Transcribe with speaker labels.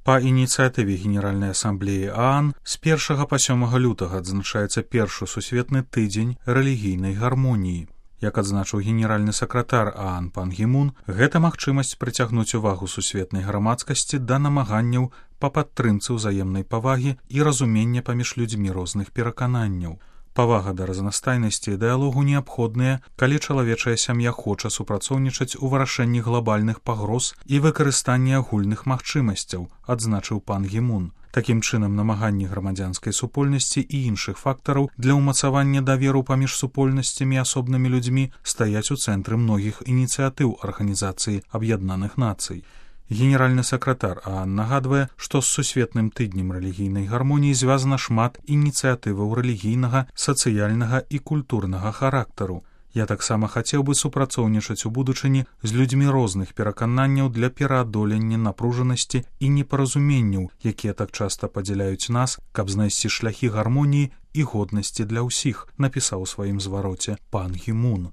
Speaker 1: Па ініцыятыве Генеральнай асамблеі ААН з 1 па 7 лютага адзначаецца першы сусветны тыдзень рэлігійнай гармоніі. Як адзначыў генеральны сакратар ААН пан Гі Мун, гэта магчымасць прыцягнуць увагу сусветнай грамадскасці да намаганняў па падтрымцы ўзаемнай павагі і разумення паміж людзьмі розных перакананняў. Павага да разнастайнасці і дыялогу неабходныя, калі чалавечая сям'я хоча супрацоўнічаць у вырашэнні глобальных пагроз і выкарыстанні агульных магчымасцяў, адзначыў пан Гі Мун. Такім чынам, намаганні грамадзянскай супольнасці і іншых фактараў для ўмацавання даверу паміж супольнасцямі і асобнымі людзьмі стаяць у цэнтры многіх ініцыятыў Арганізацыі Аб'яднаных Нацый. Генеральны сакратар ААН нагадвае, што з сусветным тыднем рэлігійнай гармоніі звязана шмат ініцыятываў рэлігійнага, сацыяльнага і культурнага характару. Я таксама хацеў бы супрацоўнічаць у будучыні з людзьмі розных перакананняў для пераадолення напружанасці і непаразуменняў, якія так часта падзяляюць нас, каб знайсці шляхі гармоніі і годнасці для ўсіх, напісаў у сваім звароце пан Гі Мун.